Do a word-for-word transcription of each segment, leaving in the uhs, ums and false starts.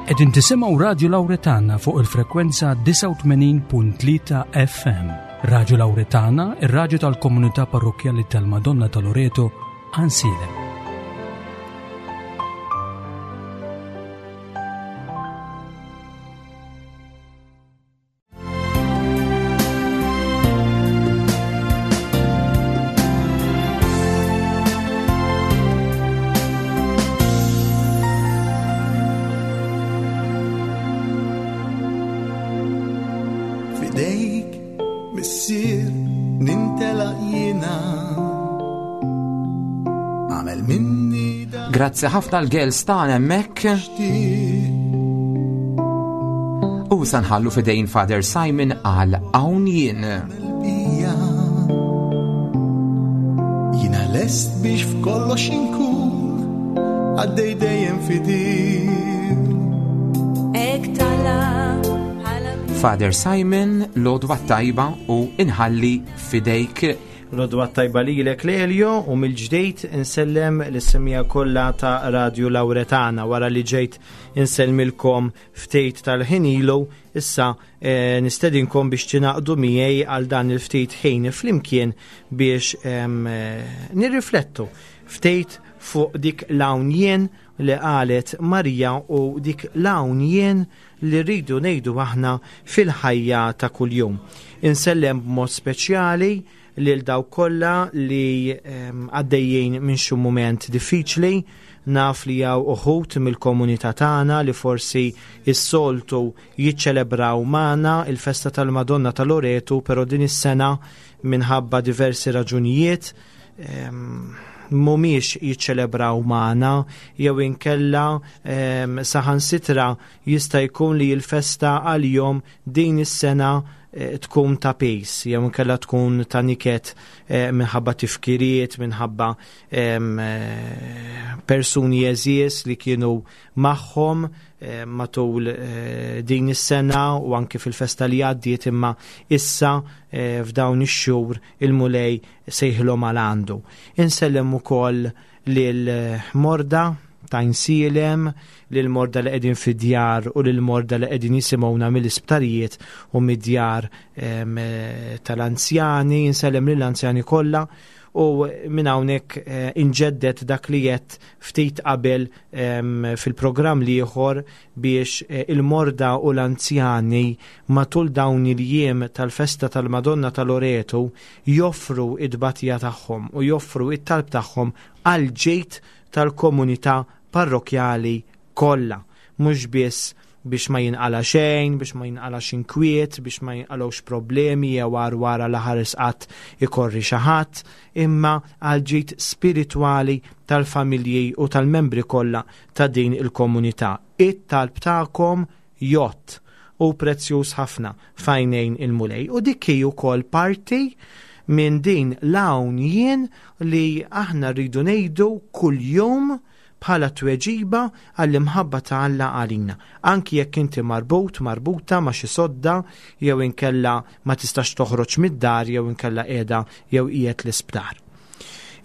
Qegħdin tisimgħu Radio Lauretana fuq il-frekwenza disgħa u tmenin punt tlieta F M. Radio Lauretana, ir-radju tal-Komunità Parrokkjali tal-Madonna ta' Loreto, Għajnsielem. Fidejk, missier, nintelaq jiena. Għamel minni dak Grazzi ħafna l-girls tagħna hemmhekk. U sa nħallu fidejn Father Simon għal Hawn Jien. Bija. Jiena lest biex f'kollox inkun għaddej dejjem fidil. Ek tala bħala Father Simon, l-għodwa tajba u inħalli fidejk. L-għodwa tajba lilek, Lelio, u mill-ġdejt insellem lis-semmiegħa kollha ta' Radio Lauretana. Wara li ġejt insellmilkom ftit tal-ħin ilu, issa eh, nistedinkom biex tingħaqdu miegħi għal dan il-ftit ħin flimkien biex em, eh, nirriflettu ftit fuq dik l-hawn jien li qalet Marija u dik l-hawn jien li rridu ngħidu aħna fil-ħajja ta' kuljum. Insellem b'mod speċjali lil dawk kollha li em, għaddejjin minn xi mument diffiċli. Naf li hawn uħud mill-komunità tagħna li forsi s-soltu jiċċelebraw magħna il-festa tal-Madonna ta' Loreto, però din is-sena minħabba diversi raġunijiet em, mhumiex jiċċelebraw magħna jew inkella em, saħansitra jista' jkun li l-festa għalihom din is-sena eh, tkun ta' piż jew inkella tkun ta' niket eh, minħabba tifkiriet, minħabba em, eh, persuni għeżież li kienu magħhom eh, matul eh, din is-sena u anke fil-festa li għaddiet, imma issa eh, f'dawn ix-xhur il-Mulej sejħilhom għal għandu. Insellem ukoll lil morda ta' Għajnsielem, lil morda li qegħdin fid-djar u lil morda li qegħdin jisimgħuna mill-isptarijiet u mid-djar em, eh, tal-anzjani, insellem lill-anzjani kollha u minn hawnhekk eh, inġeddet dak li jett ftit qabel em, fil-programm l-ieħor biex eh, il-morda u l-anzjani matul dawn il-jiem tal-festa tal-Madonna ta' Loreto joffru id-batija tagħhom u joffru it-talb tagħhom għal ġid tal-komunità parrokjali kollha, mhux biss biex ma jinqala xejn, biex ma jinqalax inkwiet, biex ma jinqalawx problemi jew war wara l-ħares qatt ikorri xi ħadd, imma għal ġid spiritwali tal-familji u tal-membri kollha ta' din il-komunità. It-talb tagħkom jgħodd u prezzjuż ħafna f'għajnejn il-Mulej. U dik hi wkoll parti minn din l-hawn jien li aħna rridu ngħidu kuljum bħala tweġiba għall-imħabba ta' Alla għalina. Anki jekk inti marbut, marbuta ma' xi sodda, jew inkella ma tistax toħroġ mid-dar, jew inkella qiegħda jew qiegħed l-isptar.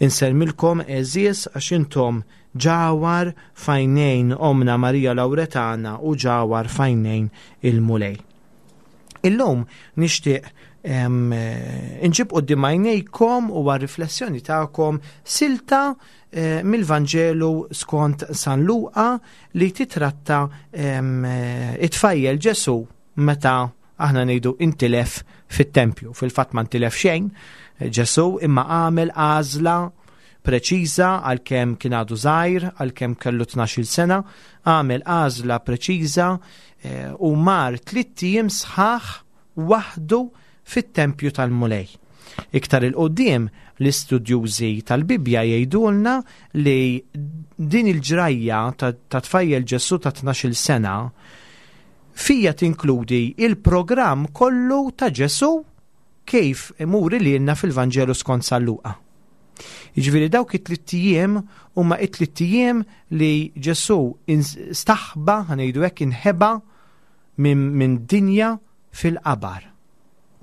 Insellmilkom, għeżież, għax intom ġawhar f'għajnejn Omna Marija Lauretana u ġawhar f'għajnejn il-Mulej. Illum nixtieq em, eh, inġib quddiem għajnejkom u għar-riflessjoni tagħkom silta eh, mill-Vanġelu skont San Luqa li titratta em, eh, it-tfajjel Ġesu meta aħna ngħidu intilef fit-tempju. Fil-fatt ma ntilef xejn Ġesu, imma għamel għażla preċiża għalkemm kien għadu żgħir, għalkemm kellu tnax-il sena, għamel għażla preċiża eh, u mar tlitt ijiem sħaħ waħdu fit-tempju tal-Mulej. Iktar 'il quddiem l-istudjużi tal-Bibja jgħidulna li din il-ġrajja ta' ta' tfajjel Ġesu ta' tnax-il sena fija tinkludi il-programm kollu ta' Ġesu kif imur lilna fil-Vanġelu skont San Luqa. Jiġifieri dawk it-tlitt ijiem huma it-tlitt ijiem li Ġesu staħba, ħa ngħidu hekk, inħeba minn min dinja fil-qabar.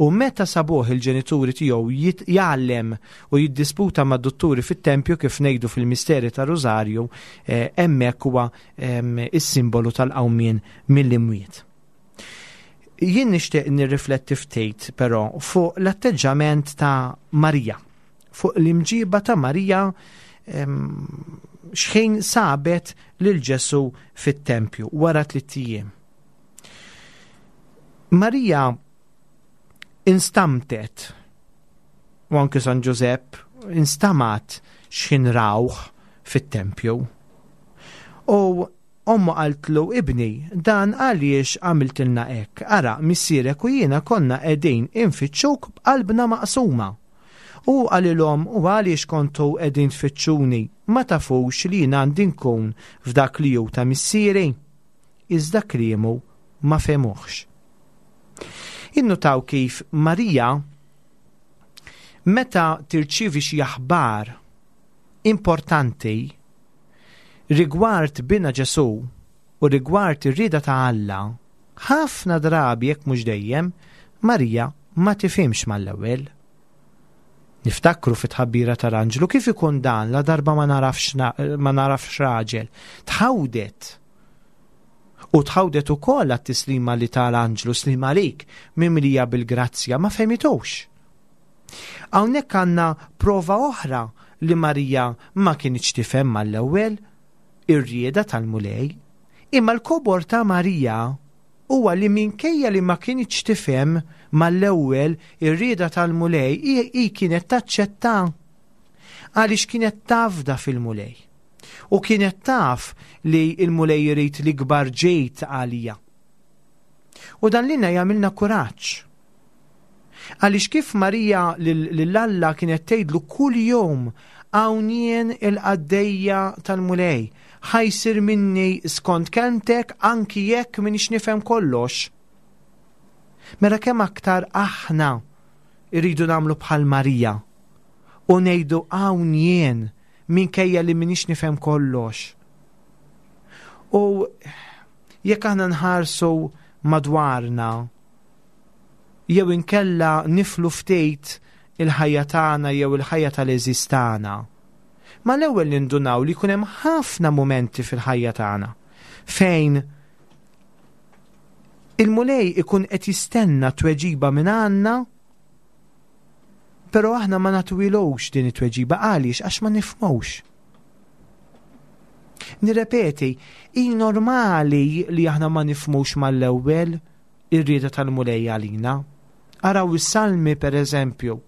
U meta sabuh il-ġenituri tiegħu jgħallem u jiddisputa mad-dutturi fit-tempju, kif ngħidu fil-misteri ta' Rosario, hemmhekk huwa is-simbolu tal-qawmien mill-imwiet. Jien nixtieq nirrifletti ftit però fuq l-atteġġament ta' Marija, fuq l-imġiba ta' Marija xħin sabet lil Ġesu fit-tempju wara tliet ijiem. Marija instamtet, u anke San Ġużepp instamat x'ħin rawh fit-tempju. U ommu qaltlu: "Ibni, dan għaliex għamiltilna hekk? Ara, missierek u jiena konna qegħdin infittxuk b'qalbna maqsuma." U qalilhom: "U għaliex kontu qegħdin tfittxuni? Ma tafux li jiena għandi nkun f'dak li hu ta' missieri?" Iżda kliemu ma fehmuhx. Innutaw kif Marija, meta tirċivi xi aħbar importanti rigward bina Ġesu u rigward ir-rieda ta' Alla, ħafna drabi, jekk mhux dejjem, Marija ma tifhimx mal-ewwel. Niftakru fit-tħabbira tal-anġlu: "Kif ikun dan la darba ma narafx ma narafx raġel?" Tħawdet. U tħawdet ukoll għat-tislima li tal-anġlu: "Sliem għalik, mimlija bil-grazzja", ma fehmitux. Hawnhekk għandna prova oħra li Marija ma kinitx tifhem mal-ewwel ir-rieda tal-Mulej. Imma l-kobor ta' Marija huwa li minkejja li ma kinitx tifhem mal-ewwel ir-rieda tal-Mulej, hi kienet taċċetta għaliex kienet tafda fil-Mulej. U kienet taf li il-Mulej jrid l-ikbar ġid għalija. U dan lilna jagħmilna kuraġġ. Għaliex kif Marija lil Alla kienet tgħidlu kull jum: "Hawn jien il-qaddejja tal-Mulej, ħa jsir minni skont kelmtek, anki jekk m'iniex nifhem kollox." Mela kemm aktar aħna irridu nagħmlu bħal Marija u ngħidu: "Hawn jien, minkejja li m'iniex nifhem kollox." U jekk aħna nħarsu madwarna jew inkella niflu ftit il-ħajja tagħna jew il-ħajja tal-għeżież tagħna, mal-ewwel nindunaw li jkun hemm ħafna mumenti fil-ħajja tagħna fejn il-Mulej ikun qed jistenna tweġiba minn għandna, però aħna ma nagħtuhilux din it-tweġiba. Għaliex? Għax ma nifhmux. Nirrepeti, hi normali li aħna ma nifhmux mal-ewwel ir-rieda tal-Mulej għalina. Araw is-salmi, per eżempju.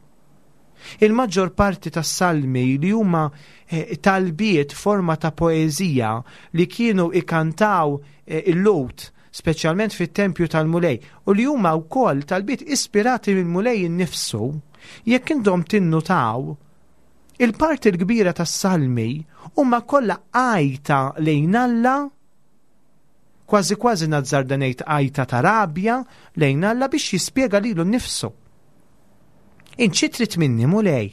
Il-maġġor parti tas-salmi, li huma eh, talbiet forma ta' poeżija li kienu ikantaw eh, il-Lhud, speċjalment fit-tempju tal-Mulej, u li huma wkoll talbiet ispirati mill-Mulej innifsu, jekk intom tinnutaw, il-parti l-kbira tas-salmi huma kollha għajta lejn Alla, kważi kważi nazzarda ngħid għajta ta' rabja lejn Alla biex jispjega lilu nnifsu. "Int xi trid minni, Mulej?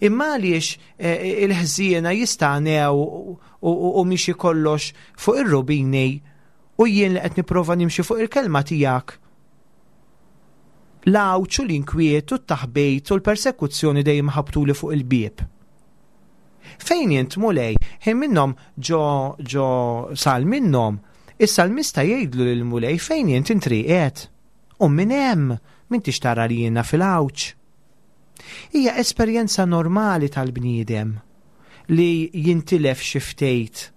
Imma għaliex eh, il-ħżiena jistagħnew u miexi kollox fuq ir-rubini u jien li qed nipprova nimxi fuq il-kelma tiegħek, l-għawġ u l-inkwiet u t-taħbejt u l-persekuzzjoni dejjem ħabtuli fuq il-bieb? Fejn int, Mulej?" Ħin minnhom, ġo ġo salm minnhom, is-salmista jgħidlu lil Mulej: "Fejn int? Int rieqed? U minn hemm m'intix tara li jiena fil-għawġ?" Hija esperjenza normali tal-bniedem li jintilef xi ftit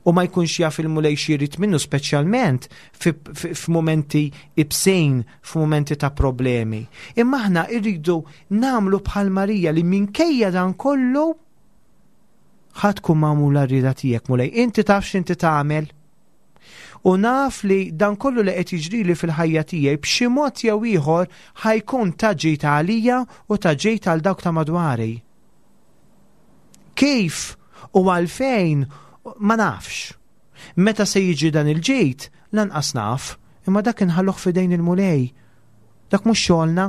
u ma jkunx jaf il-Mulej x'irid minnu, speċjalment f'mumenti ibsin, f'mumenti ta' problemi. Imma aħna irridu nagħmlu bħal Marija li minkejja dan kollu: "Ħa tkun magħmula r-rieda tiegħek, Mulej, inti taf x'inti tagħmel. U naf li dan kollu li qed jiġrili fil-ħajja tiegħi b'xi mod jew ieħor ħa jkun ta' ġid għalija u ta' ġid għal dawk ta' madwari. Kif u għalfejn ma nafx. Meta se jiġi dan il-ġid, lanqas naf, imma dak inħalluh f'idejn il-Mulej. Dak mhux xogħolna,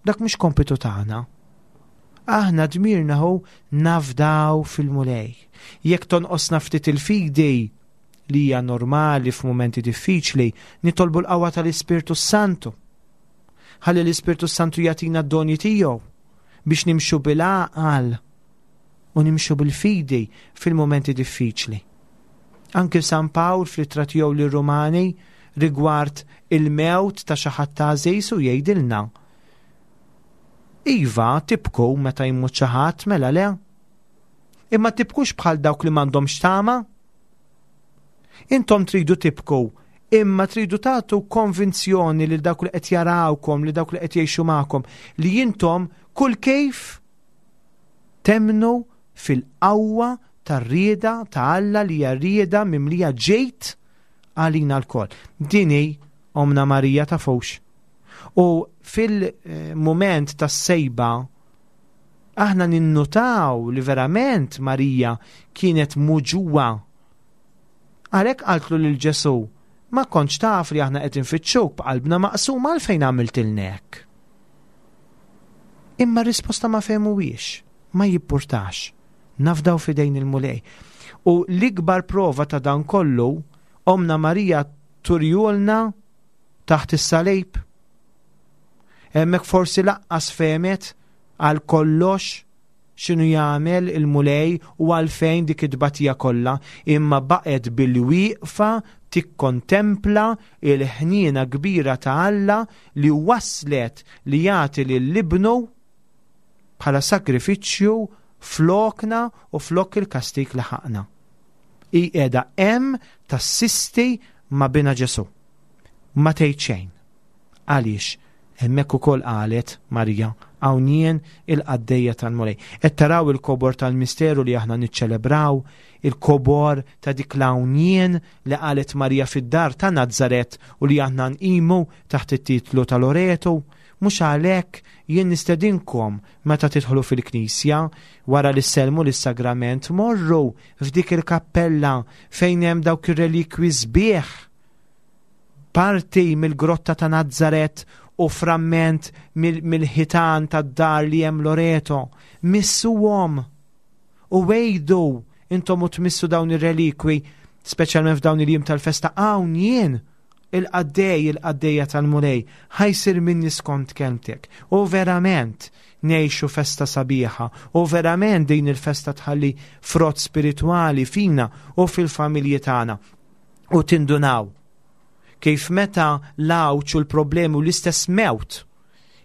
dak mhux kompitu tagħna. Aħna dmirna hu nafdaw fil-Mulej. Jekk tonqosna ftit il-fidi, li hija normali f'mumenti diffiċli, nitolbu l-qawwa tal-Ispirtu Santu. Ħalli l-Ispirtu Santu jagħtina d-doni tiegħu biex nimxu bil-għaqal u nimxu bil-fidi fil-momenti diffiċli. Anke San Pawl fl-ittra tiegħu lir-Rumani rigward il-mewt ta' xi ħadd għażiż u jgħidilna: Iva, tibku meta jmut xi ħadd, mela le. Imma tibkux bħal dawk li m'għandhomx tama. Intom tridu tibku, imma tridu tagħtu konvinzjoni lil dawk li qed jarawkom, li dawk li qed jgħixu magħkom, li intom kull kif temnu fil-qawwa tar-rieda ta' Alla li hija rieda mimlija ġejt għalina lkoll. Din hi Omna Marija ta' fux. U fil-moment tas-sejba aħna ninnutaw li verament Marija kienet muġuwa. Għalhekk qaltlu lil Ġesù: ma kontx taf li aħna qed infittxuk b'qalbna maqsuma, għalfejn għamiltilna hekk? Imma r-risposta ma fehmuhiex, ma jippurtax. Nafdaw f'idejn il-Mulej. U l-ikbar prova ta' dan kollu, Omna Marija turjulna taħt is-salib. Hemmhekk forsi laqqas fehmet għal kollox x'inhu jagħmel il-Mulej u għalfejn dik it-tbatija kollha, imma baqgħet bil-wieqfa tikkontempla il-ħniena kbira ta' Alla li waslet li jagħti lil ibnu bħala sakrifiċċju flokna u flok il-kastik li ħaqna. Hi qiegħda hemm tassisti ma' bina Ġesù. Ma tgħid xejn. Għaliex? Hemmhekk ukoll qalet Marija: hawn jien il-qaddejja tal-Mulej. Qed taraw il-kobor tal-misteru li aħna niċċelebraw, il-kobor ta' dik l-hawn jien li qalet Marija fid-dar ta' Nazaret u li aħna nqimu taħt it-titlu ta' Loreto. Mhux għalhekk jien nistedinkom meta tidħlu fil-knisja wara li sellmu lis-sagrament, morru f'dik il-kappella fejn hemm dawk ir-relikwi sbieħ, parti mill-grotta ta' Nazaret u framment mill-ħitan tad-dar li hemm Loreto. Missuhom u wejdu intom u tmissu dawn ir-relikwi, speċjalment f'dawn il-jiem tal-festa, hawn jien il-qaddej, il-qaddejja tal-Mulej, ħajsir minni skont kelmtek. U verament ngħixu festa sabiħa, u verament din il-festa tħalli frott spiritwali fina u fil-familji tagħna. U tindunaw kif meta l-għawġ u l-problemi u l-istess mewt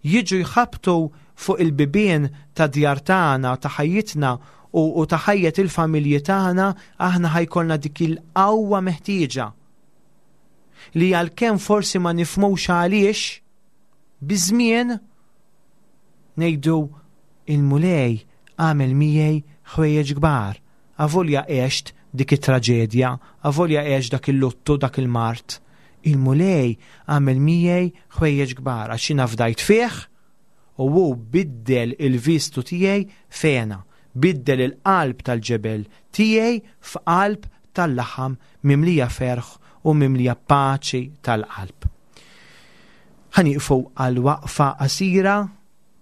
jiġu jħabtu fuq il-bibien ta' djar tagħna, ta' ħajjitna u, u ta' ħajjet il-familji tagħna, aħna ħajkollna dik il-qawwa meħtieġa li għalkemm forsi ma nifhmux għaliex, biżmien ngħidu il-Mulej għamel miegħi ħwejjeġ kbar. Avolja għext dik it-traġedja, avolja għext dak il-luttu, dak il-mart, il-Mulej għamel miegħi ħwejjeġ kbar għax jiena fdajt fih u hu biddel il-vistu tiegħi fena, biddel il-qalb tal-ġebel tiegħi f'qalb tal-laħam mimlija ferħ u mimlija paċi tal-qalb. Ħanieqfu għal waqfa qasira,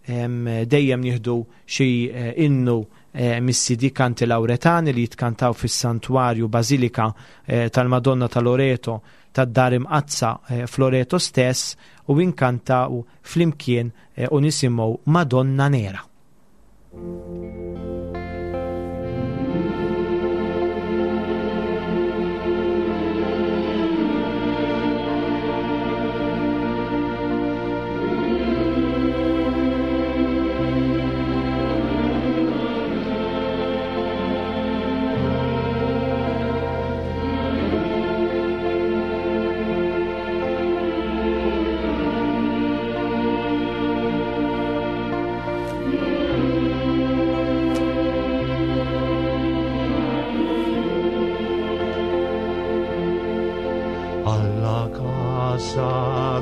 em, dejjem nieħdu xi, eh, innu, eh, mis-C D Kanti Lauretani li jitkantaw fis-Santwarju Basilika, eh, tal-Madonna ta' Loreto tad-Dar Imqaddsa, eh, f'Loreto stess, u inkantaw flimkien, eh, u nisimgħu Madonna Nera.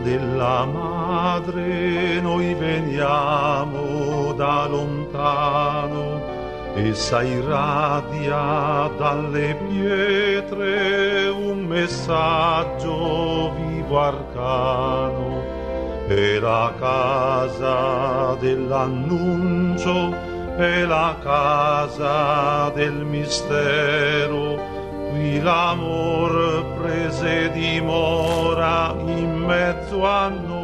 Della madre noi veniamo da lontano, essa irradia dalle pietre un messaggio vivo arcano. È la casa dell'annuncio, è la casa del mistero, qui l'amor prese dimora in mezzo a noi.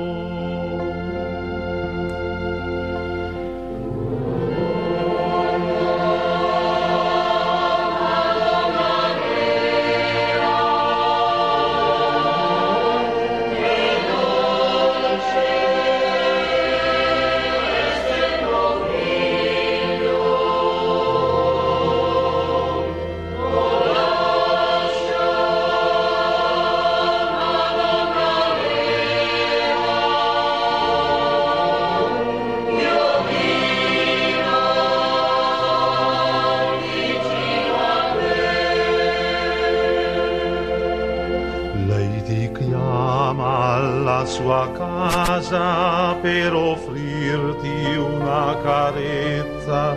sua casa per offrirti una carezza.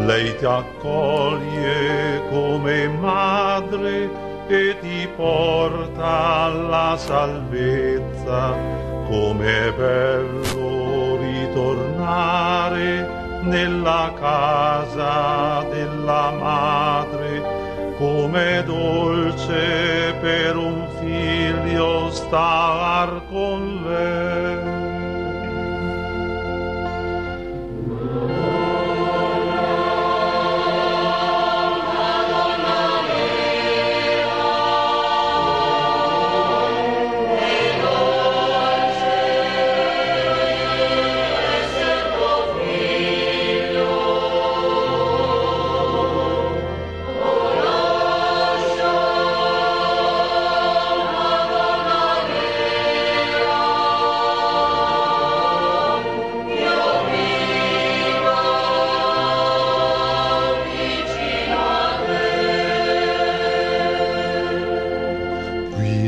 Lei ti accoglie come madre e ti porta alla salvezza. Com'è bello ritornare nella casa della madre, com'è dolce per un figlio star con lei.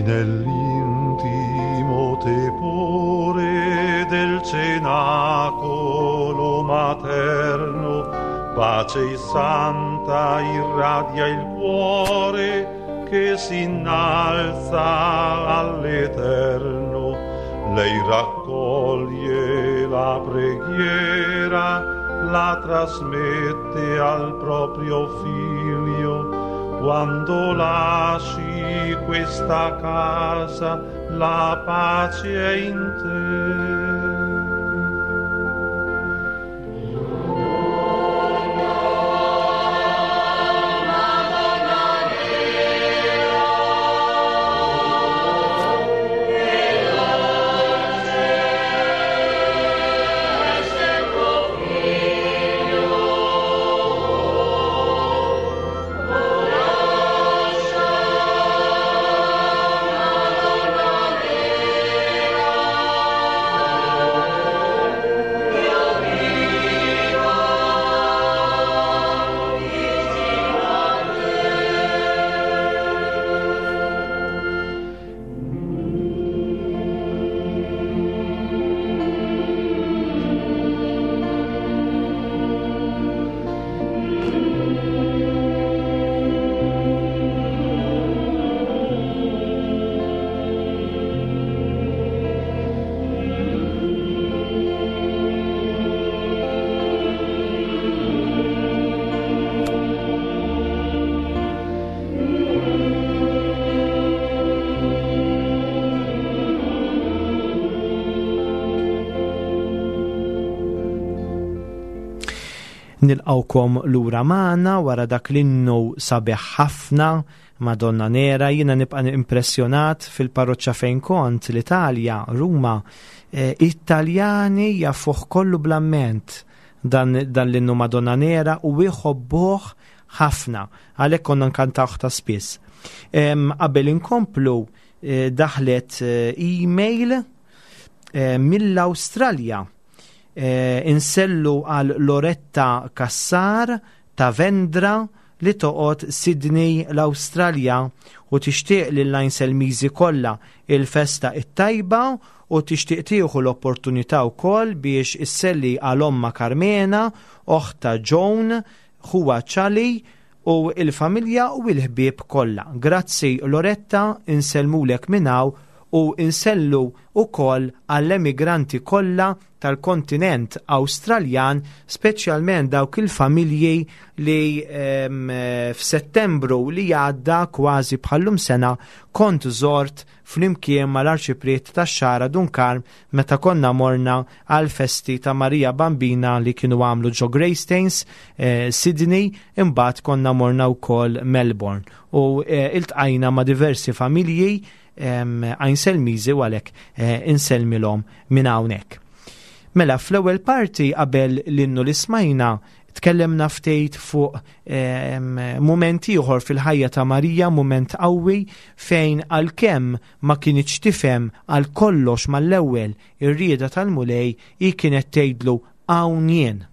Nell'intimo tepore del cenacolo materno, pace santa irradia il cuore che si innalza all'eterno. Lei raccoglie la preghiera, la trasmette al proprio figlio. Quando lasci questa casa, la pace è in te. Nilqawkom lura magħna wara dak l-innu sabiħ ħafna Madonna Nera. Jiena nibqa' impressjonat fil-parroċċa fejn kont l-Italja, Ruma, Italjani jafuh kollu bl-amment dan, dan l-innu Madonna Nera u jħobbuh ħafna, għalhekk konna nkantawh ta' spiss. Qabel inkomplu daħlet email mill-Awstralja. Insellu għal Loretta Kassar ta' Vendra li toqgħod Sydney l-Awstralja u tixtieq lil Għajnselmiżi kollha il-festa it-tajba u tixtieq tieħu l-opportunità wkoll biex isselli għal omma Carmena, oħta Joan, ħuwa Ċali u il-familja u l-ħbieb kollha. Grazzi Loretta, insellmulek minn hawn u insellu wkoll għall-emigranti kollha tal-kontinent Awstraljan, speċjalment dawk il-familji li f'Settembru li għadda kważi bħallum sena kont żort flimkien mal-Arċipriet tax-Xagħra Dun Karm meta konna morna għal festi ta' Marija Bambina li kienu għamlu ġo Greystanes, eh, Sydney, imbagħad konna morna wkoll Melbourne u eh, iltqajna ma' diversi familji Għajnselmiżi u għalhekk insellmilhom minn hawnhekk. Mela fl-ewwel parti qabel l-innu li smajna tkellemna ftit fuq mument ieħor fil-ħajja ta' Marija, mument qawwi fejn għalkemm ma kinitx tifhem għal kollox mal-ewwel ir-rieda tal-Mulej, hi kienet tgħidlu hawn jien.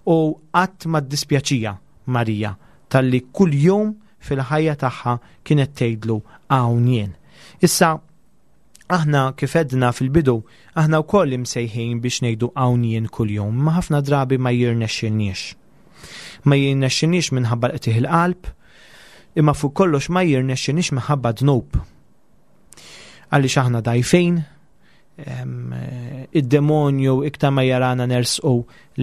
U qatt ma ddispjaċija Marija talli kuljum fil-ħajja tagħha kienet tgħidlu hawn jien. Issa Aħna kif għedna fil-bidu, aħna wkoll imsejħin biex ngħidu hawn jien kuljum, ma ħafna drabi ma jirnexxilniex. Ma jirnexxilniex minħabba l-qtigħ il-qalb, imma fuq kollox ma jirnexxilniex minħabba dnub. Għaliex aħna dgħajfin, id-demonju iktar ma jarana nersqu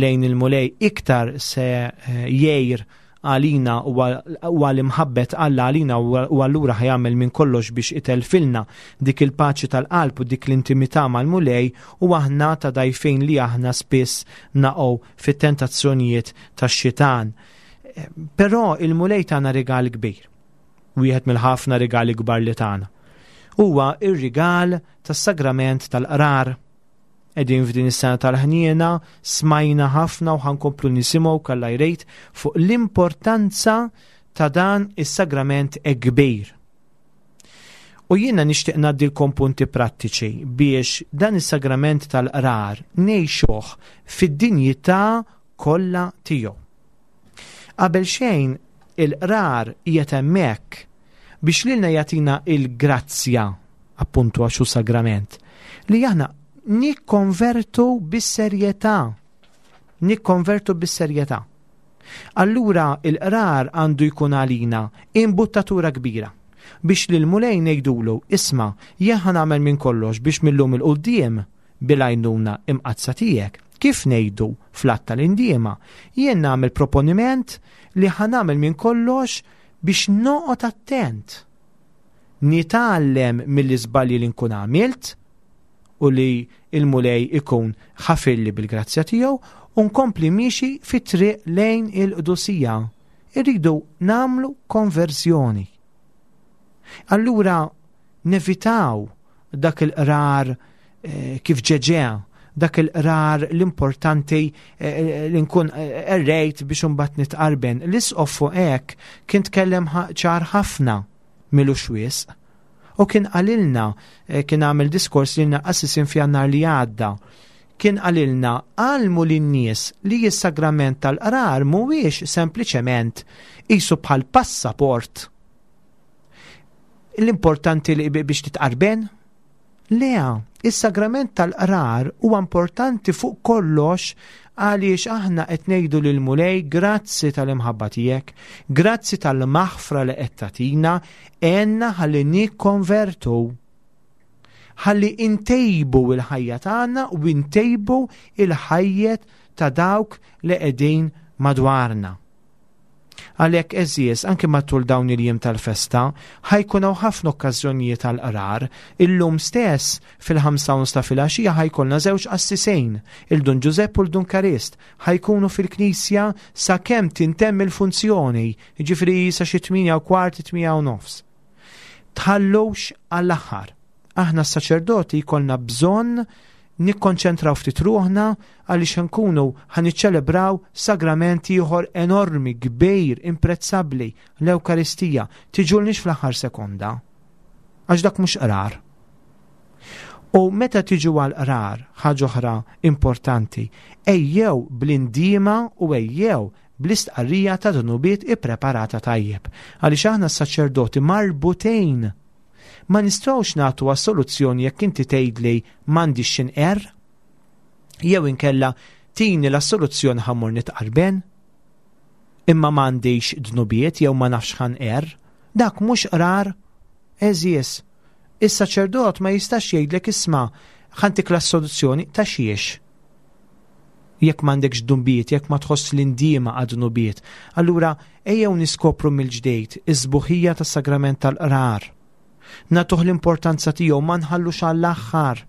lejn il-Mulej, iktar se eh, jgħir għalina u għal imħabbet Alla għalina u allura ħa jagħmel minn kollox biex itelfilna dik il-paċi tal-qalb u dik l-intimità mal-Mulej, u aħna ta' dgħajfin li aħna spiss naqgħu fit-tentazzjonijiet tax-xitan. Però il-Mulej tana rigal kbir, wieħed mill-ħafna rigali kbar li tana. Huwa ir-rigal tas-sagrament tal-qrar. Qegħdin f'din is-sena tal-ħniena, smajna ħafna u ħankomplu nisimgħu kalla jrejt fuq l-importanza ta' dan is-sagrament kbir. U jiena nixtieq ngħaddilkom punti prattiċi biex dan is-sagrament tal-qrar ngħixuh fid-dinjità kollha tiegħu. Qabel xejn, il-qrar qiegħed hemmhekk biex lilna jagħtina il-grazzja, appuntu għax hu sagrament, li aħna nikkonvertu bis-serjetà. Nikkonvertu bis-serjetà. Allura il-qrar għandu jkun għalina imbuttatura kbira biex lil Mulej ngħidulu, isma', jien ħa nagħmel minn kollox biex millum il-quddiem bil-għajnuna imqaddsa tiegħek, kif ngħidu fl-att tal-indiema, jien nagħmel proponiment li ħa nagħmel minn kollox biex noqgħod attent. Nitgħallem mill-iżbalji li nkun għamilt u li il-Mulej ikun ħafilli bil-grazzja tiegħu u nkompli miexi fit-triq lejn il-qdusija. Irridu nagħmlu konverzjoni. Allura nevitaw dak il-qrar, eh, kif ġeġea, dak il-qrar l-importanti, eh, li nkun, eh, errejt biex imbagħad nitqarben. L-isqof fuq hekk kien tkellem ħa-, ċar ħafna milux wisq. U kien qalilna, eh, kien għamel diskors lilna qassisin f'Jannar li għadda, kien qalilna għallmu lin-nies li s-sagrament tal-qrar mhuwiex sempliċement qisu bħal passaport. L-importanti li bi-, biex titqarben? Le, is-sagrament tal-qrar huwa importanti fuq kollox għaliex aħna qed ngħidu lil Mulej grazzi tal-imħabba tiegħek, grazzi tal-maħfra li qed tagħtina, għenna ħalli nikkonvertu, ħalli intejbu il-ħajja tagħna u intejbu il-ħajjet ta' dawk li qegħdin madwarna. Għalhekk għeżież, anke matul dawn il-jiem tal-festa, ħajkun hawn ħafna okkażjonijiet tal-qrar. Illum stess fil-ħamsa u nofs ta' filgħaxija ħajkollna żewġ qassisejn, il-Dun Ġużepp u l-Dun Karist, ħajkunu fil-knisja sakemm tintemm il-funzjoni, jiġifieri sa xi tmienja u kwart, tmienja u nofs. Tħallux għall-aħħar. Aħna s-saċerdoti jkollna bżonn nikkonċentraw ftit ruħna għaliex nkunu ħa niċċelebraw sagrament ieħor enormi, kbir, imprezzabbli, l-Ewkaristija. Tiġulniex fl-aħħar sekonda, għax dak mhux qrar. U meta tiġu għal qrar, ħaġa oħra importanti, ejjew bl-indiema u ejjew bl-istqarrija ta' dnubiet ippreparata tajjeb. Għaliex aħna s-saċerdoti marbutejn. Ma nistgħux nagħtu assoluzzjoni jekk inti tgħidli m'għandix x'inqerr, jew inkella tini l-assoluzzjoni ħa mmur nitqarben, imma m'għandix dnubiet jew ma nafx ħanqerr. Dak mhux qrar, għeżież. Is-saċerdot ma jistax jgħidlek isma' ħantik l-assoluzzjoni ta' xiex. Jekk m'għandekx dnubiet, jekk ma tħoss l-indiema għad dnubiet, allura ejjew niskopru mill-ġdejt is-sbuħija tas-sagrament tal-qrar. Nagħtuh l-importanza tiegħu, ma nħallux għall-aħħar.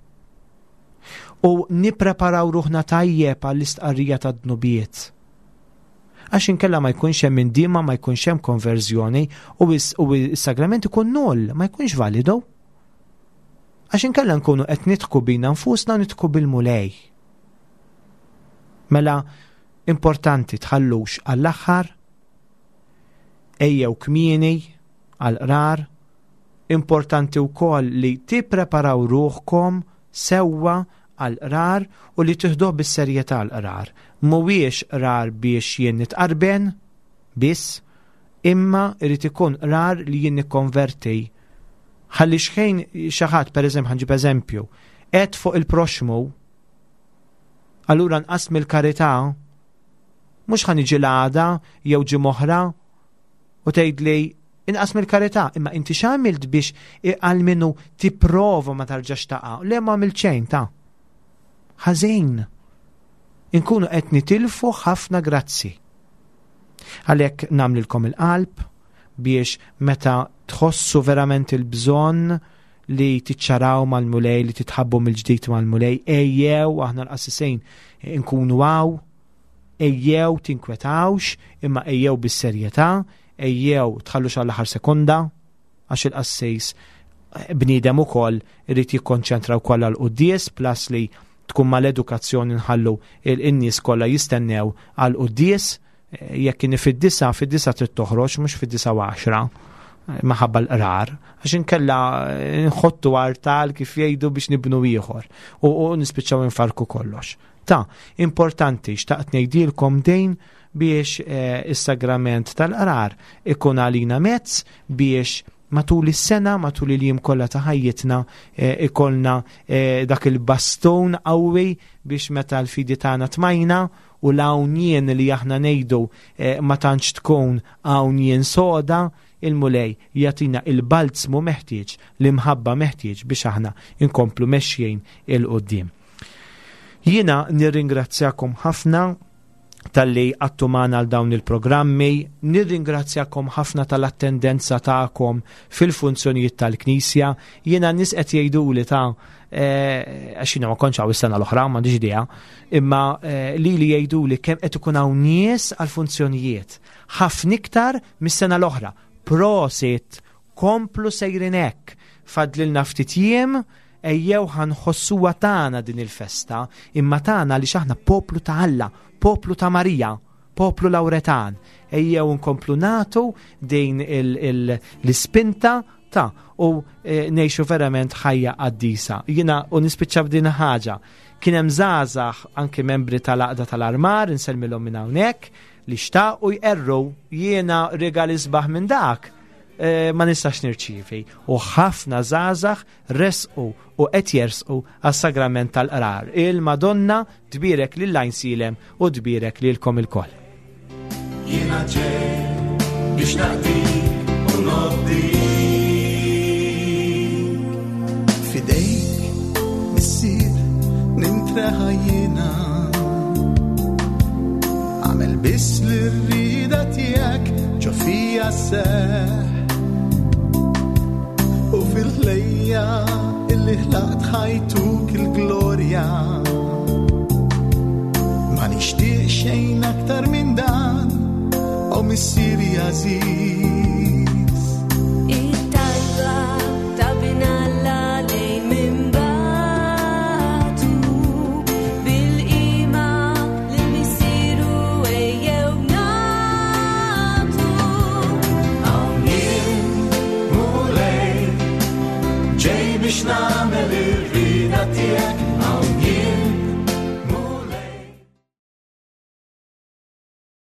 U nippreparaw ruħna tajjeb għall-istqarrija tad-dnubiet. Għax inkella ma jkunx hemm indiema, ma jkunx hemm konverżjoni u is-, u s-sagrament ikun null, ma jkunx validu. Għax inkella nkunu qed nidħku bina nfusna u nidħku bil-Mulej. Mela importanti tħallux għall-aħħar, ejjew kmieni għall-qrar, importanti wkoll li tippreparaw ruħkom sewwa għall-qrar u li tieħduh bis-serjetà l-qrar. Mhuwiex qrar biex jien nitqarben biss, imma irid ikun qrar li jien nikkonverti Ħalli xħin xi ħadd, pereżempju, ħa nġib eżempju, qed fuq il-proxmu, allura nqas mill-karità, mhux ħa niġi l-għada jew ġimgħa oħra u tgħidli inqas mill-karità, imma inti x'għamilt biex għalmenu tipprova ma tarġax taqa'? Le, ma għamilt xejn ta' ħażin. Inkunu qed nitilfu ħafna grazzi. Għalhekk nagħmlilkom il-qalb biex meta tħossu verament il-bżonn li tiċċaraw mal-Mulej, li titħabbu mill-ġdid mal-Mulej, ejjew, aħna l-qassisin nkunu hawn, ejjew tinkwetawx, imma ejjew bis-serjetà, ejjew tħallux għall-aħħar sekonda, għax il-qassis bniedem ukoll irid jikkonċentra wkoll għall-quddies, plus li tkun mal-edukazzjoni nħallu il-nies kollha jistennew għall-quddies. Jekk kien fid-disa, fid-disa trid toħroġ, mhux fid-disa u għaxra, maħabba l-qrar, għax inkella nħottu artal kif jgħidu biex nibnu ieħor u, u nispiċċaw infarku kollox. Ta' importanti, xtaqt ngħidilkom dejn biex eh, is-sagrament tal-qrar ikun għalina mezz biex matul is-sena, matul il-jiem kollha ta' ħajjitna eh, ikollna eh, dak il-bastun qawwi biex meta l-fidi tagħna tmajna u l-hawn jien li aħna ngħidu eh, ma tantx tkun hawn jien soda, il-Mulej jagħtina il-balzmu meħtieġ, l-imħabba meħtieġ biex aħna inkomplu mexjin il-qoddim. Jiena nirringrazzjakom ħafna talli għattu magħna għal dawn il-programmi, nirringrazzjakom ħafna tal-attendenza tagħkom fil-funzjonijiet tal-Knisja. Jiena nies qed jgħiduli ta' eh, għax jiena ma kontx hawn is-sena l-oħra, m'għandix idea, imma eh, li li jgħiduli kemm qed ikun hawn nies għall-funzjonijiet ħafna iktar mis-sena l-oħra. Prosit, komplu sejrin hekk, fadlilna ftit jiem, ejjew ħa nħossuha tagħna din il-festa, imma tagħna li aħna poplu ta' Alla, poplu ta' Marija, poplu Lawretan. Ejjew nkomplu nagħtu din l-ispinta ta' u e, ngħixu verament ħajja qaddisa. Jiena u nispiċċa b'din ħaġa. Kien hemm żgħażagħ anke membri tal-għaqda tal-armar, insellmilhom minn hawnhekk, li xtaqu jqerru. Jiena rigal isbaħ minn dak e, ma nistax nirċievi. U ħafna żgħażagħ resqu u qed jersqu għas-sagrament tal-qrar. Il-Madonna tbierek lil Għajnsielem u tbierek lilkom ilkoll. Jiena ġej biex naqdik u nobdik. Fidejk, Missier, nintreħa jiena. Għamel biss l-rida tiegħek ġo fija seħ. U fil-ħlejja illi ħlaqt ħajtuk il-glorja. Ma nixtieq xejn aktar minn dan, o Missieri għażiż. It-talba ta' Bin Alla lejn minn bagħtu, bil-qima lil Missieru ejjew nagħtu. Hawn jien, Mulej, ġej biex nagħmel ir-rieda tiegħek.